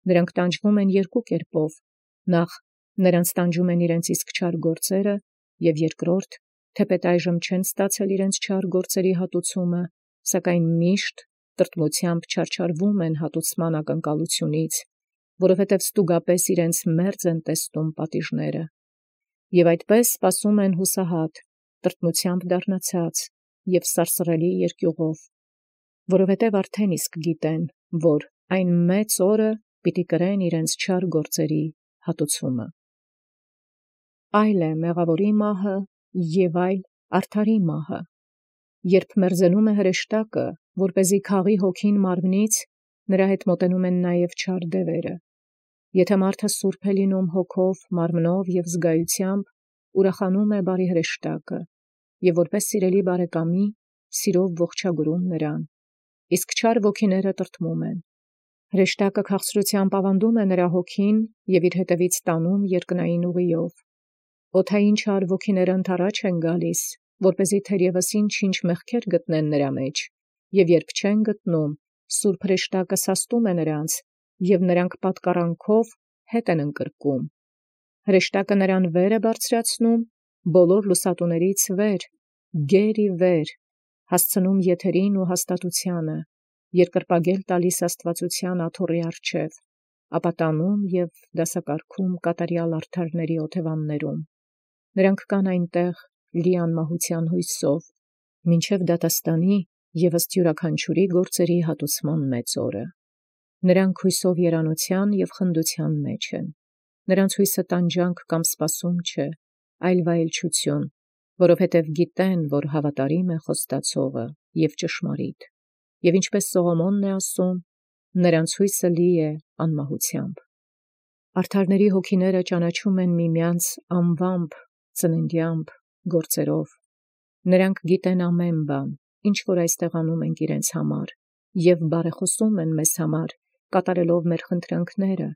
Նրանք տանջվում են երկու կերպով. նախ նրանց տանջում են իրենց իսկ չար գործերը, և երկրորդ, թեպետ այժմ չեն ստացել իրենց չար գործերի հատուցումը, սակայն միշտ տրտմությամբ չարչարվում են հատուցման ակնկալությունից, որովհետև ստուգապես իրենց մերձ են տեստում պատիժները, և այդպես սպասում են հուսահատ, տրտմությամբ դառնացած և սարսռելի երկյուղով, որովհետև արդեն իսկ գիտեն, որ այն մեծ օրը պիտի կրեն իրենց չար գործերի հատուցումը։ Այլ է մեղավորի մահը և այլ արդարի մահը։ Երբ մերձենում է հրեշտակը, որպեսզի քաղի հոգին մարմնից, նրա հետ մոտենում են նաև չար դևերը։ Եթե մարդը սուրբ է լինում հոգով, մարմնով և զգայությամբ, ուրախանում է բարի հրեշտակը, և որպես սիրելի բարեկամի, սիրով ողջագրում նրան, իսկ չար ոգիները տրտմում են։ Հրեշտակը քաղցրությամբ ավանդում է նրա հոգին և իր հետևից տանում երկնային ուղիով։ Օդային չար ոգիները ընդառաջ են գալիս, որպեսզի թերևս ինչ-ինչ մեղքեր գտնեն նրա մեջ, և երբ չեն գտնում, սուրբ հրեշտակը սաստում է նրանց, և նրանք պատկառանքով հետ են ընկրկում։ Հրեշտակը նրան վեր է բարձրացնում, բոլոր լուսատուներից վեր, գեր ի վեր, հասցնում եթերին ու հաստատությանը, երկրպագել տալիս աստվածության աթոռի առջև, ապա տանում և դասակարգում կատարյալ արդարների օթևաններում։ Նրանք կան այնտեղ լի անմահության հույսով, մինչև դատաստանի և ըստ յուրաքանչյուրի գործերի հատուցման մեծ օրը։ Նրանք հույսով երանության և խնդության մեջ են։ Նրանց հույսը տանջանք կամ սպասում չէ, այլ վայելչություն, որովհետև գիտեն, որ հավատարիմ է խոստացողը և ճշմարիտ, և ինչպես Սողոմոնն է ասում, նրանց հույսը լի է անմահությամբ։ Արդարների հոգիները ճանաչում են միմյանց անվամբ, ծննդյամբ, գործերով։ Նրանք գիտեն ամեն բան, ինչ որ այստեղ անում ենք իրենց համար, և բարեխոսում են մեզ համար, կատարելով մեր խնդրանքները,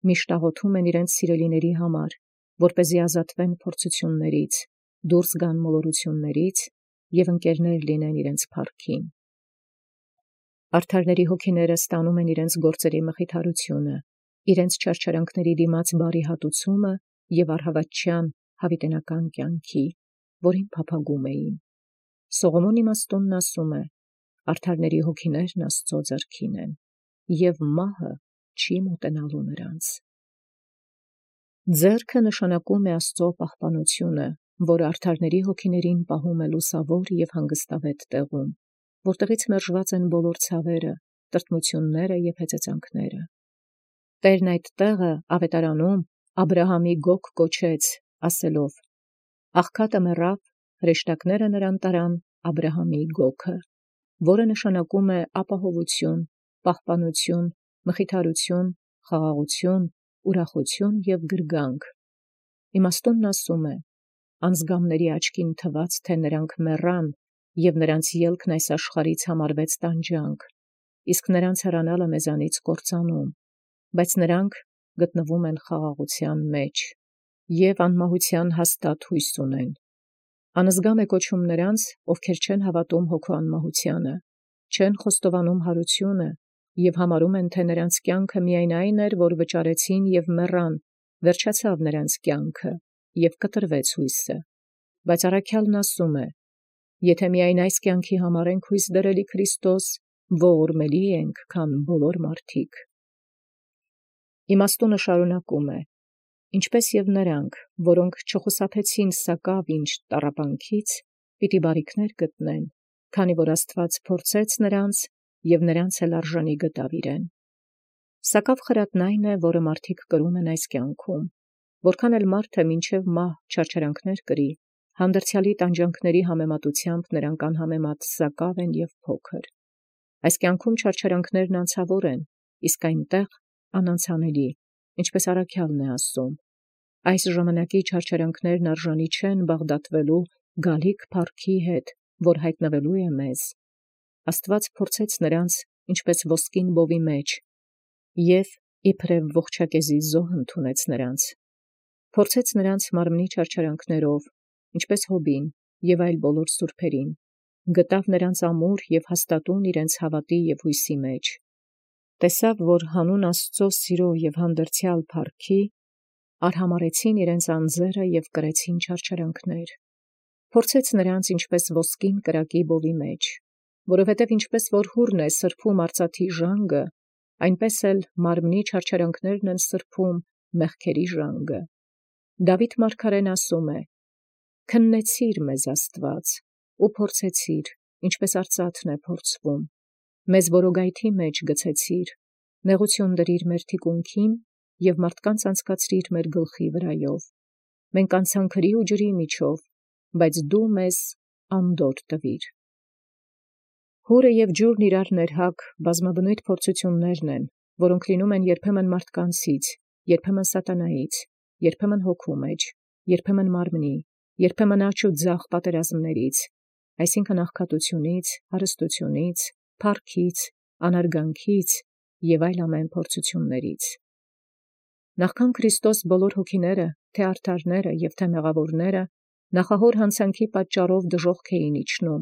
միշտ աղոթում են իրենց սիրելիների համար, որպեսզի ազատվեն փորձություններից, դուրս գան մոլորություններից և ընկերներ լինեն իրենց փառքին։ Արդարների հոգիները ստանում են իրենց գործերի մխիթարությունը, իրենց չարչարանքների դիմաց բարի հատուցումը և առհավատչյան հավիտենական կյանքի, որին փափագում էին։ Սողոմոն իմաստունն ասում է. արդարների հոգիներն Աստծո ձեռքին են, և մահը չի մոտենալու նրանց։ Ձեռքը նշանակում է Աստծո պահպանությունը, որը արդարների հոգիներին պահում է լուսավոր և հանգստավետ տեղում, որտեղից մերժված են բոլոր ցավերը, տրտմությունները և հեծեծանքները։ Տերն այդ տեղը ավետարանում Աբրահամի գոգ կոչեց, ասելով. աղքատը մեռավ, հրեշտակները նրան տարան Աբրահամի գոգը, որը նշանակում է ապահովություն, պահպանություն, մխիթարություն, խաղաղություն, ուրախություն և գրգանք։ Իմաստունն ասում է. անձգամների աչքին թվաց, թե նրանք մեռան, և նրանց ելքն այս աշխարհից համարվեց տանջանք, իսկ նրանց հեռանալը մեզանից կործանում, բայց նրանք գտնվում են խաղաղության մեջ և անմահության հաստատ հույս ունեն։ Անզգամ է կոչում նրանց, ովքեր չեն հավատում հոգու անմահությանը, չեն խոստովանում հարությունը և համարում են, թե նրանց կյանքը միայն այն էր, որ վճարեցին և մեռան, վերջացավ նրանց կյանքը և կտրվեց հույսը։ Բայց առաքյալն ասում է. եթե միայն այս կյանքի համար ենք հույս դրել ի Քրիստոս, ողորմելի ենք, քան բոլոր մարդիկ։ Իմաստունը շարունակում է. ինչպես և նրանք, որոնք չխուսափեցին սակավ ինչ տառապանքից, պիտի բարիքներ գտնեն, քանի որ Աստված փորձեց նրանց և նրանց էլ արժանի գտավ իրեն։ Սակավ խրատն այն է, որը մարդիկ կրում են այս կյանքում, որքան էլ մարդը մինչև մահ չարչարանքներ կրի, հանդերձյալի տանջանքների համեմատությամբ նրանք անհամեմատ սակավ են և փոքր։ Այս կյանքում չարչարանքներն անցավոր են, իսկ այնտեղ անանցանելի, ինչպես առաքյալն է ասում. այս ժամանակի չարչարանքներն արժանի չեն բաղդատվելու գալիք փառքի հետ, որ հայտնվելու է մեզ։ Աստված փորձեց նրանց, ինչպես ոսկին բովի մեջ, և իբրև ողջակեզի զոհ ընդունեց նրանց։ Փորձեց նրանց մարմնի չարչարանքներով, ինչպես Հոբին և այլ բոլոր սուրբերին, գտավ նրանց ամուր և հաստատուն իրենց հավատի և հույսի մեջ։ տեսավ, որ հանուն Աստուծո սիրո և հանդերձյալ փառքի արհամարեցին իրենց անձերը և կրեցին չարչարանքներ. փորձեց նրանց ինչպես ոսկին կրակի բովի մեջ, որովհետև ինչպես որ հուրն է սրբում արծաթի ժանգը, այնպես էլ մարմնի չարչարանքներն են սրբում մեղքերի ժանգը։ Դավիթ մարգարեն ասում է. «Քննեցիր մեզ Աստված, ու փորձեցիր, ինչպես արծաթն է փորձվում, մեզ որոգայթի մեջ գցեցիր, նեղություն դրիր մեր թիկունքին և մարդկանց անցկացրիր մեր գլխի վրայով։ Մենք անցանք քրի ու ջրի միջով, բայց դու մեզ անդորր տվիր»։ Հուրը և ջուրն իրար ներհակ բազմաբնույթ փորձություններն են, որոնք լինում են երբեմն մարդկանցից, երբեմն սատանայից, երբեմն հոգու մեջ, երբեմն մարմնի, երբեմն աճ ու ձախ պատերազմներից, այսինքն աղքատությունից, հարստությունից, փառքից, անարգանքից և այլ ամեն փորձություններից։ Նախքան Քրիստոս բոլոր հոգիները, թե արդարները և թե մեղավորները, նախահոր հանցանքի պատճառով դժոխք էին իջնում,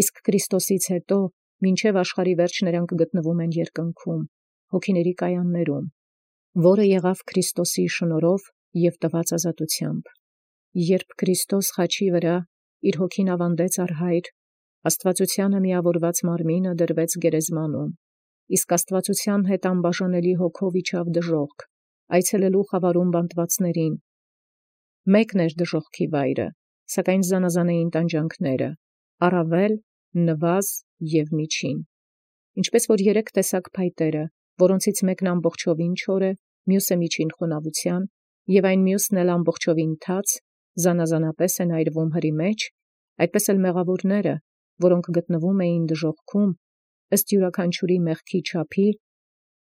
իսկ Քրիստոսից հետո մինչև աշխարհի վերջ նրանք գտնվում են երկնքում, հոգիների կայաններում, որը եղավ Քրիստոսի շնորհով և տված ազատությամբ։ Երբ Քրիստոս խաչի վրա իր հոգին ավանդեց առ Հայր, Աստվածությանը միավորված մարմինը դրվեց գերեզմանում, իսկ Աստվածության հետ անբաժանելի հոգով իջավ դժոխք, այցելելու խավարում բանտվածներին։ Մեկն էր դժոխքի վայրը, սակայն զանազան էին տանջանքները, առավել, նվազ և միջին։ Ինչպես որ երեք տեսակ փայտերը, որոնցից մեկն ամբողջովին չոր է, մյուսը միջին խոնավության, և այն մյուսն էլ ամբողջովին թաց, զանազանապես են այրվում հրի մեջ, այդպես էլ մեղավորները, որոնք գտնվում էին դժոխքում, ըստ յուրաքանչյուրի մեղքի չափի,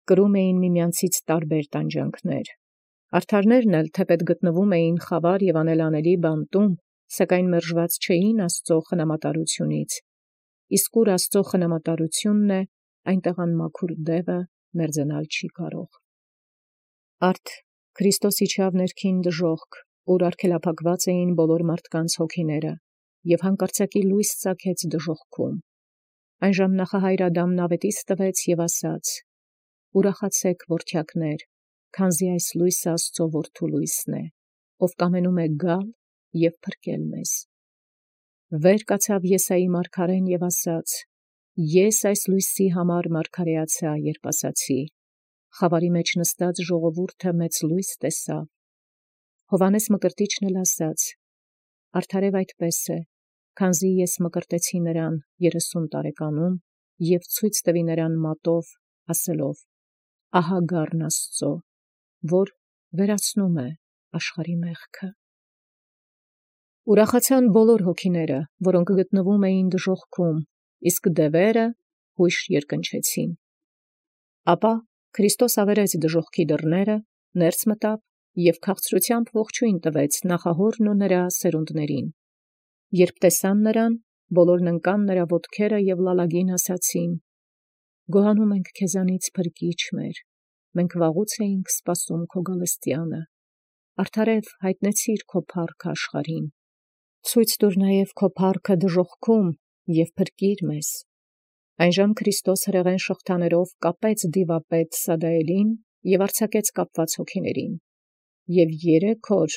կրում էին միմյանցից տարբեր տանջանքներ։ Արդարներն էլ թեպետ գտնվում էին խավար և անելանելի բանտում, սակայն մերժված չէին Աստծո խնամատարությունից, իսկ ուր Աստծո խնամատարությունն է, այնտեղ անմաքուր դևը մերձենալ չի կարող։ Արդ Քրիստոս իջավ ներքին դժոխք, ուր արգելափակված էին բոլոր մարդկանց հոգիները, և հանկարծակի լույս ծագեց դժոխքում։ Այնժամ նախահայր Ադամն ավետիս տվեց և ասաց. «Ուրախացե՛ք, որդյակներ, քանզի այս լույսը Աստծո որդու լույսն է, ով կամենում է գալ և փրկել մեզ»։ Վեր կացավ Եսայի մարգարեն և ասաց. «Ես այս լույսի համար մարգարեացա, երբ ասացի. խավարի մեջ նստած ժողովուրդը մեծ լույս տեսավ»։ Հովհաննես Մկրտիչն էլ ասաց. «Արդարև այդպես է, քանզի ես մկրտեցի նրան 30 տարեկանում և ցույց տվի նրան մատով, ասելով. ահա գառն Աստծո, որ վերացնում է աշխարհի մեղքը»։ Ուրախացան բոլոր հոգիները, որոնք գտնվում էին դժոխքում, իսկ դևերը հույժ երկնչեցին։ Ապա Քրիստոս ավերեց դժոխքի դռները, ներս մտավ և քաղցրությամբ ողջույն տվեց նախահորն ու նրա սերունդներին։ Երբ տեսան նրան, բոլորն ընկան նրա ոտքերը և լալագին ասացին. «Գոհանում ենք քեզանից, Փրկիչ մեր, մենք վաղուց էինք սպասում քո գալստյանը։ Արդարև հայտնեցիր քո փառքը աշխարհին։ Ցույց տուր նաև քո փառքը դժոխքում և փրկիր մեզ»։ Այնժամ Քրիստոս հրեղեն շղթաներով կապեց դիվապետ Սադայելին և արձակեց կապված հոգիներին։ Եվ 3 օր,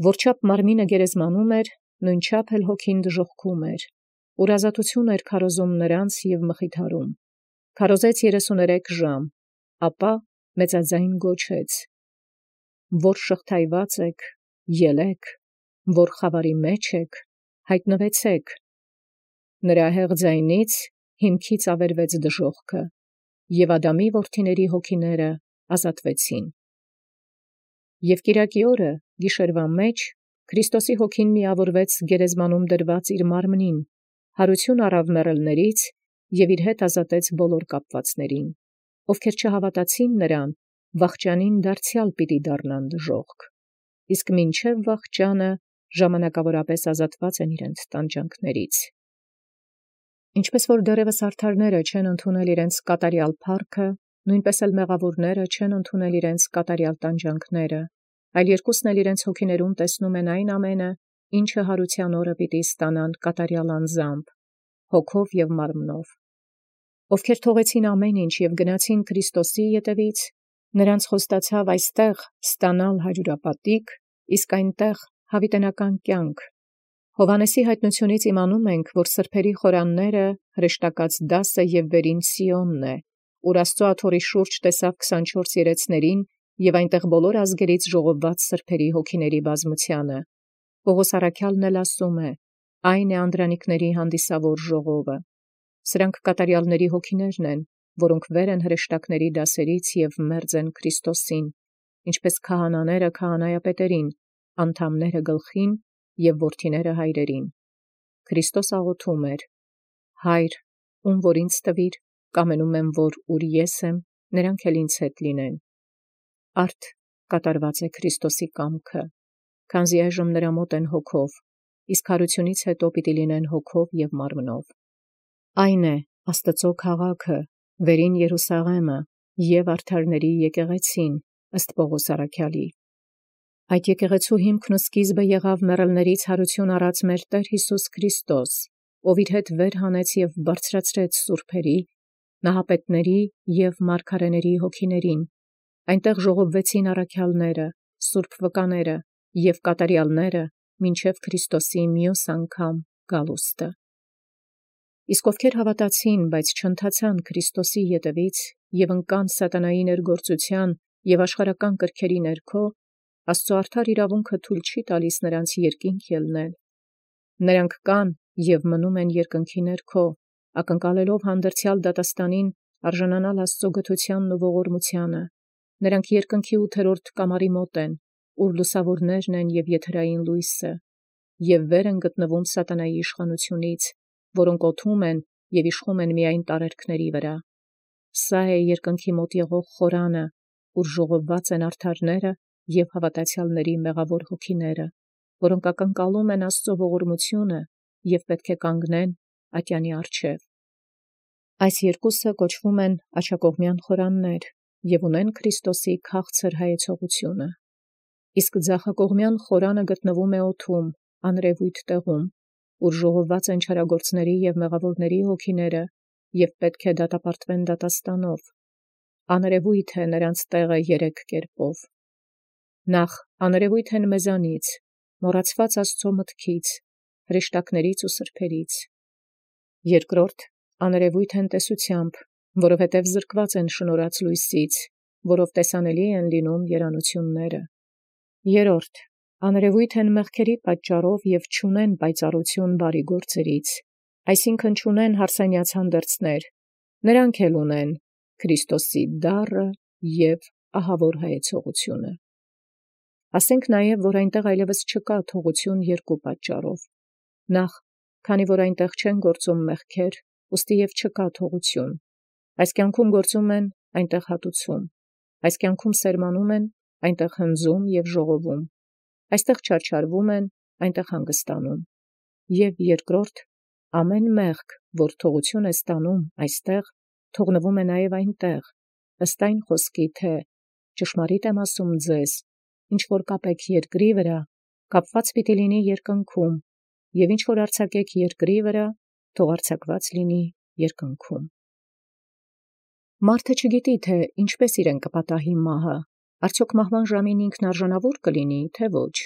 որչափ մարմինը գերեզմանում էր, նույնչափ էլ հոգին դժոխքում էր, ուր ազատություն էր քարոզում նրանց և մխիթարում։ Քարոզեց 33 ժամ, ապա մեծաձայն գոչեց. «Որ շղթայված եք, ելեք, որ խավարի մեջ եք, հայտնվեցեք»։ Նրա հեղ ձայնից հիմքից ավերվեց դժոխքը, և Ադամի որդիների հոգիները ազատվեցին։ Եվ կիրակի օրը, գիշերվա մեջ, Քրիստոսի հոգին միավորվեց գերեզմանում դրված իր մարմնին, հարություն առավ մեռելներից և իր հետ ազատեց բոլոր կապվածներին, ովքեր չհավատացին նրան, վախճանին դարձյալ պիտի դառնան դժոխք, իսկ մինչև վախճանը ժամանակավորապես ազատված են իրենց տանջանքներից։ Ինչպես որ դեռևս արդարները չեն ընդունել իրենց կատարյալ փառքը, նույնպես էլ մեղավորները չեն ընդունել իրենց կատարյալ տանջանքները, այլ երկուսն էլ իրենց հոգիներում տեսնում են այն ամենը, ինչը հարության օրը պիտի ստանան կատարյալ անձամբ, հոգով և մարմնով։ ովքեր թողեցին ամեն ինչ և գնացին Քրիստոսի ետևից, նրանց խոստացավ այստեղ ստանալ հարյուրապատիկ, իսկ այնտեղ հավիտենական կյանք։ Հովհաննեսի հայտնությունից իմանում ենք, որ սրբերի խորանները հրեշտակած դասը և վերին Սիոնն է, ուր Աստծո աթոռի շուրջ տեսավ 24 երեցներին և այնտեղ բոլոր ազգերից ժողովված սրբերի հոգիների բազմությանը։ Պողոս առաքյալն էլ ասում է. այն է անդրանիկների հանդիսավոր ժողովը։ Սրանք կատարյալների հոգիներն են, որոնք վեր են հրեշտակների դասերից և մերձ են Քրիստոսին, ինչպես քահանաները քահանայապետերին, անդամները գլխին և որդիները հայրերին։ Քրիստոս աղոթում էր. Հայր, ում որ ինձ տվիր, կամենում եմ, որ ուր ես եմ, նրանք էլ ինձ հետ լինեն։ Արդ կատարված է Քրիստոսի կամքը, քանզի այժմ նրա մոտ են հոգով, իսկ հարությունից հետո պիտի լինեն հոգով և մարմնով։ Այն է Աստծո քաղաքը, վերին Երուսաղեմը և արդարների եկեղեցին, ըստ Պողոս առաքյալի։ Այդ եկեղեցու հիմքն ու սկիզբը եղավ մեռելներից հարություն առած մեր Տեր Հիսուս Քրիստոս, ով իր հետ վեր հանեց և բարձրացրեց սուրբերի, նահապետների և մարգարեների հոգիներին։ Այնտեղ ժողովվեցին առաքյալները, սուրբ վկաները և կատարյալները մինչև Քրիստոսի մյուս անգամ գալուստը։ Իսկ ովքեր հավատացին, բայց չընթացան Քրիստոսի ետևից և ընկան սատանայի ներգործության և աշխարհական կրքերի ներքո, Աստծո արդար իրավունքը թույլ չի տալիս նրանց երկինք ելնել։ Նրանք կան և մնում են երկնքի ներքո, ակնկալելով հանդերձյալ դատաստանին արժանանալ Աստծո գթությանն ու ողորմությանը։ Նրանք երկնքի 8-րդ կամարի մոտ են, ուր լուսավորներն են և եթերային լույսը, և վեր են գտնվում սատանայի իշխանությունից, որոնք օթում են և իշխում են միայն տարերքների վրա։ Սա է երկնքի մոտ եղող խորանը, ուր ժողովված են արդարները և հավատացյալների մեղավոր հոգիները, որոնք ակնկալում են Աստծո ողորմությունը և պետք է կանգնեն ատյանի առջև։ Այս երկուսը կոչվում են աջակողմյան խորաններ և ունեն Քրիստոսի քաղցր հայեցողությունը։ Իսկ ձախակողմյան խորանը գտնվում է օդում, անրևույթ տեղում, ուր ժողովված են չարագործների և մեղավորների հոգիները և պետք է դատապարտվեն դատաստանով։ Անրևույթ է նրանց տեղը 3 կերպով։ Նախ անրևույթ են մեզանից, մոռացված Աստծո մտքից, հրեշտակներից ու սրբերից։ Երկրորդ անրևույթ են տեսությամբ, որովհետև զրկված են շնորհած լույսից, որով տեսանելի են լինում երանությունները։ Երրորդ անրևույթ են մեղքերի պատճառով և չունեն պայծառություն բարի գործերից, այսինքն չունեն հարսանյաց հանդերձներ, նրանք էլ ունեն Քրիստոսի դառը և ահավոր հայեցողությունը։ Ասենք նաև, որ այնտեղ այլևս չկա թողություն 2 պատճառով։ Նախ, քանի որ այնտեղ չեն գործում մեղքեր, ուստի և չկա թողություն։ Այս կյանքում գործում են, այնտեղ հատուցում։ Այս կյանքում սերմանում են, այնտեղ հնձում և ժողովում։ Այստեղ չարչարվում են, այնտեղ հանգստանում։ Եվ երկրորդ, ամեն մեղք, որ թողություն է ստանում այստեղ, թողնվում է նաև այնտեղ, ըստ այն խոսքի, թե ճշմարիտ եմ ասում ձեզ, ինչ որ կապեք երկրի վրա, կապված պիտի լինի երկնքում, և ինչ որ արձակեք երկրի վրա, թող արձակված լինի երկնքում։ Մարդը չգիտի, թե ինչպես իրեն կպատահի մահը, արդյոք մահվան ժամին ինքն արժանավոր կլինի, թե ոչ,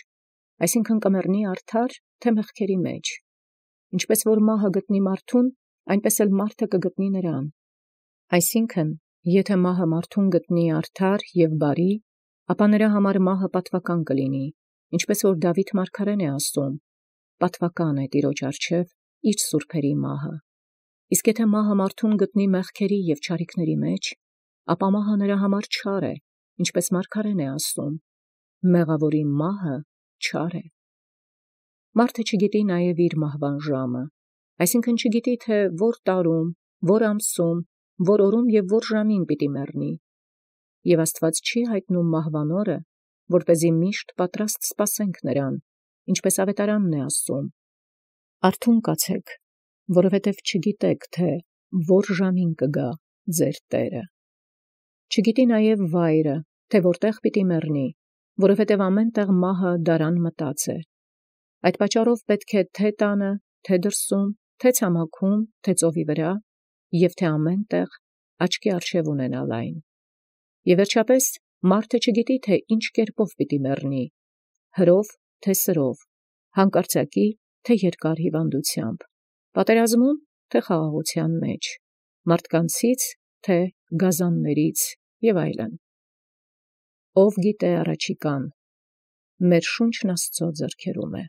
այսինքն կմեռնի արդար, թե մեղքերի մեջ։ Ինչպես որ մահը գտնի մարդուն, այնպես էլ մարդը կգտնի նրան։ Այսինքն, եթե մահը մարդուն գտնի արդար և բարի, ապա նրա համար մահը պատվական կլինի, ինչպես որ Դավիթ մարգարեն է ասում. պատվական է Տիրոջ առջև իր սուրբերի մահը։ Իսկ եթե մահը մարդուն գտնի մեղքերի և չարիքների մեջ, ապա մահը նրա համար չար է, ինչպես մարգարեն է ասում. մեղավորի մահը չար է։ Մարդը չգիտի նաև իր մահվան ժամը, այսինքն չգիտի, թե որ տարում, որ ամսում, որ օրում և որ ժամին պիտի մեռնի։ Եվ Աստված չի հայտնում մահվան օրը, որպեսզի միշտ պատրաստ սպասենք նրան, ինչպես ավետարանն է ասում. արթուն կացեք, որովհետև չգիտեք, թե որ ժամին կգա ձեր Տերը։ Չգիտի նաև վայրը, թե որտեղ պիտի մեռնի, որովհետև ամեն տեղ մահը դարան մտած է։ Այդ պատճառով պետք է թե տանը, թե դրսում, թե ցամաքում, թե ծովի վրա և թե ամեն տեղ աչքի առջև ունենալ այն։ Եվ վերջապես մարդը չգիտի, թե ինչ կերպով պիտի մեռնի, հրով, թե սրով, հանկարծակի, թե երկար հիվանդությամբ, պատերազմում, թե խաղաղության մեջ, մարդկանցից, թե գազաններից և այլն։ Ով գիտե առաջիկան, մեր շունչն Աստծո ձեռքերում է։